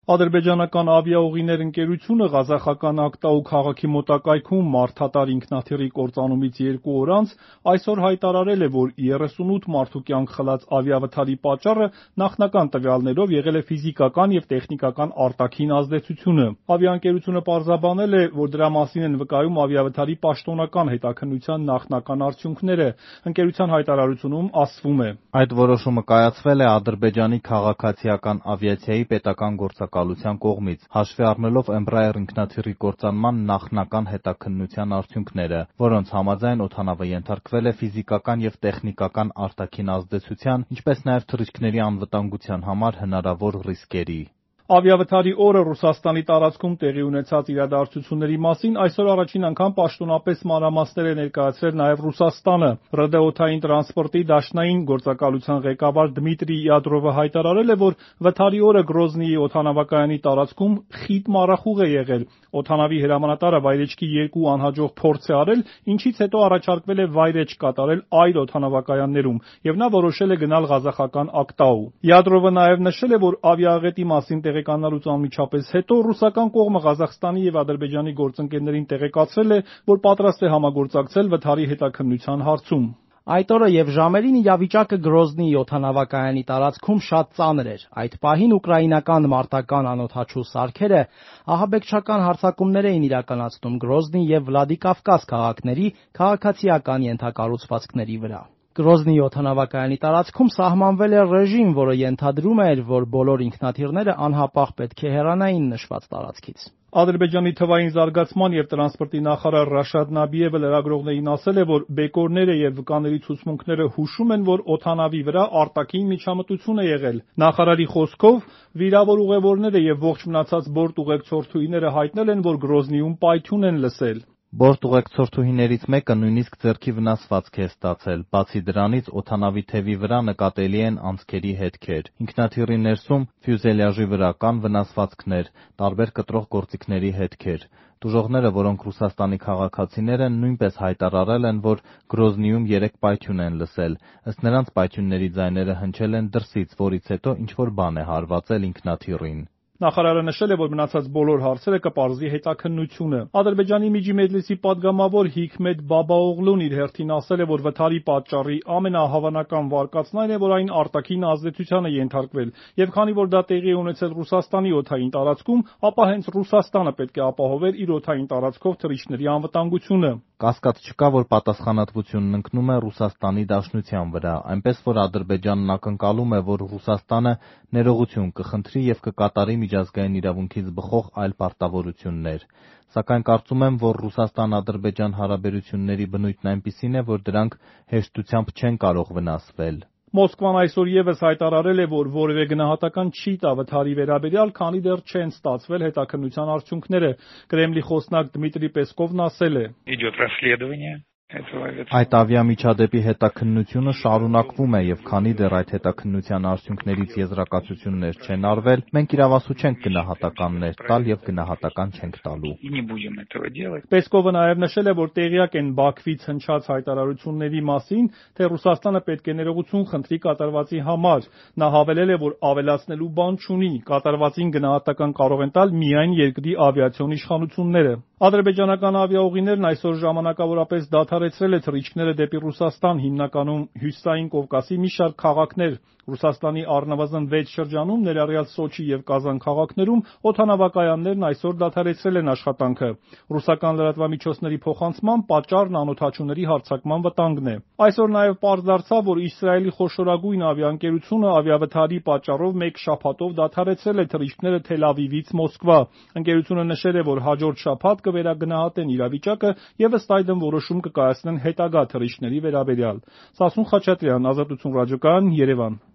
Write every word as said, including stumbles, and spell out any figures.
Ադրբեջանական ավիաուղիներ ընկերությունը ղազախական Ակտաու քաղաքի մոտակայքում մարդատար ինքնաթիռի կործանումից երկու օր անց այսօր հայտարարել է, որ երեսունութ մարդու կյանք խլած ավիավթարի պատճառը նախնական տվյալներով եղել է ֆիզիկական և տեխնիկական արտաքին ազդեցությունը։ Ավիաընկերությունը պարզաբանել է, որ դրա մասին են վկայում ավիավթարի պաշտոնական հետաքննության նախնական արդյունքները։ Ընկերության հայտարարությունում ասվում է. Այդ որոշումը կայացվել է Ադրբեջանի քաղաքացիական ավիացիայի պետական գործակալության կողմից, հաշվի առնելով Embraer ինքնաթիռի կործանման նախնական հետաքննության արդյունքները, որոնց համաձայն օդանավը ենթարկվել է ֆիզիկական և տեխնիկական արտաքին ազդեցության, ինչպես նաև թռիչքների անվտանգության համար հնարավոր ռիսկերի։ Ավիավթարի օրը Ռուսաստանի տարածքում տեղի ունեցած իրադարձությունների մասին այսօր առաջին անգամ պաշտոնապես մանրամասներ է ներկայացրել նաև Ռուսաստանը։ ՌԴ օդային տրանսպորտի դաշնային գործակալության ղեկավար Դմիտրի Յադրովը հայտարարել է, որ վթարի օրը Գրոզնիի օդանավակայանի տարածքում խիտ մառախուղ է եղել։ Օդանավի հրամանատարը վայրէջքի երկու անհաջող փորձ է արել, ինչից հետո առաջարկվել է վայրէջք կատարել այլ օդանավակայաններում, և նա որոշել է գնալ ղազախական Ակտաու։ Յադրովը նաև նշել է, որ ավիաաղետի մասին տեղեկանալուց անմիջապես հետո ռուսական կողմը Ղազախստանի և Ադրբեջանի գործընկերներին տեղեկացրել է, որ պատրաստ է համագործակցել վթարի հետաքննության հարցում։ Այդ օրը և ժամերին իրավիճակը Գրոզնիի օդանավակայանի տարածքում շատ ծանր էր։ Այդ պահին ուկրաինական մարտական անօդաչու սարքերը ահաբեկչական հարձակումներ էին իրականացնում Գրոզնի և Վլադիկավկազ քաղաքների քաղաքացիական ենթակառուցվածքների վրա։ Գրոզնիի օդանավակայանի տարածքում սահմանվել էր ռեժիմ, որը ենթադրում էր, որ բոլոր ինքնաթիռները անհապաղ պետք է հեռանային նշված տարածքից։ Ադրբեջանի թվային զարգացման և տրանսպորտի նախարար Ռաշադ Նաբիևը լրագրողներին ասել է, որ բեկորները և վկաների ցուցմունքները հուշում են, որ օդանավի վրա արտաքին միջամտություն է եղել։ Նախարարի խոսքով, վիրավոր ուղևորները և ողջ մնացած բորտ ուղեկցորդուհիները հայտնել են, որ Գրոզնիում պայթյուն են լսել։ Բորտ ուղեկցորդուհիներից մեկը նույնիսկ ձեռքի վնասվածք է ստացել։ Բացի դրանից, օդանավի թևի վրա նկատելի են անցքերի հետքեր։ Ինքնաթիռի ներսում ֆյուզելյաժի վրա կան վնասվածքներ, տարբեր կտրող գործիքների հետքեր։ Տուժողները, որոնք Ռուսաստանի քաղաքացիներ են, նույնպես հայտարարել են, որ Գրոզնիում երեկ պայթյուն են լսել։ Ըստ նրանց, պայթյունների ձայները հնչել են դրսից, որից հետո ինչ-որ բան է հարվածել ինքնաթիռին։ Նախարարը նշել է, որ մնացած բոլոր հարցերը կպարզի հետաքննությունը։ Ադրբեջանի Միջի Մեջլիսի պատգամավոր Հիքմետ Բաբաօղլուն իր հերթին ասել է, որ վթարի պատճառի ամենահավանական վարկածն այն է, որ այն արտաքին ազդեցության է ենթարկվել, և քանի որ դա տեղի է ունեցել Ռուսաստանի օդային տարածքում, ապա հենց Ռուսաստանը պետք է ապահովեր իր օդային տարածքով թռիչքների անվտանգությունը։ Կասկած չկա, որ պատասխանատվությունն ընկնում է Ռուսաստանի Դաշնության վրա, այնպես որ Ադրբեջանն ակնկալում է, որ Ռուսաստանը ներողություն կխնդրի և կկատարի միջազգային իրավունքից բխող այլ պարտավորություններ։ Սակայն կարծում եմ, որ Ռուսաստան-Ադրբեջան հարաբերությունների բնույթն այնպիսին է, որ դրանք հեշտությամբ չեն կարող վնասվել։ Մոսկվան այսօր ևս հայտարարել է, որ որևէ գնահատական չի տա վթարի վերաբերյալ, քանի դեռ չեն ստացվել հետաքննության արդյունքները։ Կրեմլի խոսնակ Դմիտրի Պեսկովն ասել է. Այդ ավիամիջադեպի հետաքննությունը շարունակվում է, և քանի դեռ այդ հետաքննության արդյունքներից եզրակացություններ չեն արվել, մենք իրավասու չենք գնահատականներ տալ և գնահատական չենք տալու։ Պեսկովը նաև նշել է, որ տեղյակ են Բաքվից հնչած հայտարարությունների մասին, թե Ռուսաստանը պետք է ներողություն խնդրի կատարվածի համար։ Նա հավելել է, որ ավելացնելու բան չունի, կատարվածին գնահատական կարող են տալ միայն երկրի ավիացիոն իշխանությունները։ Ադրբեջանական ավիաուղիներն այսօր ժամանակավորապես դադարեցրել է թռիչքները դեպի Ռուսաստան, հիմնականում Հյուսիսային Կովկասի մի շարք քաղաքներ։ Ռուսաստանի առնվազն վեց շրջանում, ներառյալ Սոչի և Կազան քաղաքներում, օդանավակայաններն այսօր դադարեցրել են աշխատանքը։ Ռուսական լրատվամիջոցների փոխանցմամբ պատճառն անօդաչուների հարձակման վտանգն է։ Այսօր նաև պարզ դարձավ, որ Իսրայելի խոշորագույն ավիաընկերությունը ավիավթարի պատճառով մեկ շաբաթով դադարեցրել է թռիչքները Թել Ավիվից Մոսկվա։ Ընկերությունը նշել է, որ հաջորդ շաբաթ կվերագնահատեն իրավիճակը և ըստ այդմ որոշում կկայացնեն հետագա թռիչքների վերաբերյալ։ Սասուն Խաչատրյան, Ազատություն ռադիոկայան, Երևան։